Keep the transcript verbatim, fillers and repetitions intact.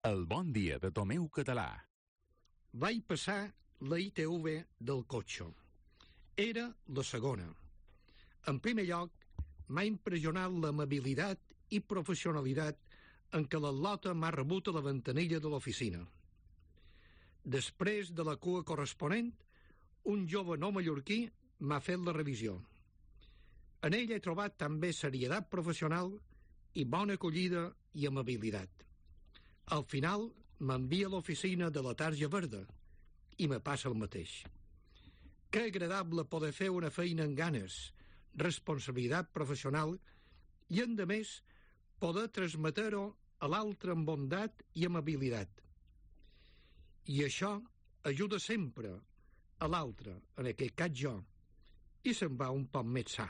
El bon dia de Tomeu Català. Vaig passar la I T V del cotxe. Era la segona. En primer lloc, m'ha impressionat l'amabilitat i professionalitat en què l'Atlota m'ha rebut a la ventanilla de l'oficina. Després de la cua corresponent, un jove no mallorquí m'ha fet la revisió. En ell he trobat també serietat professional i bona acollida i amabilitat. Al final m'envia a l'oficina de la tarja verda i me passa el mateix. Que agradable poder fer una feina amb ganes, responsabilitat professional i, a més, poder transmetre-ho a l'altre amb bondat i amabilitat. I això ajuda sempre a l'altre, en aquest cas jo, i se'n va un poc més sa.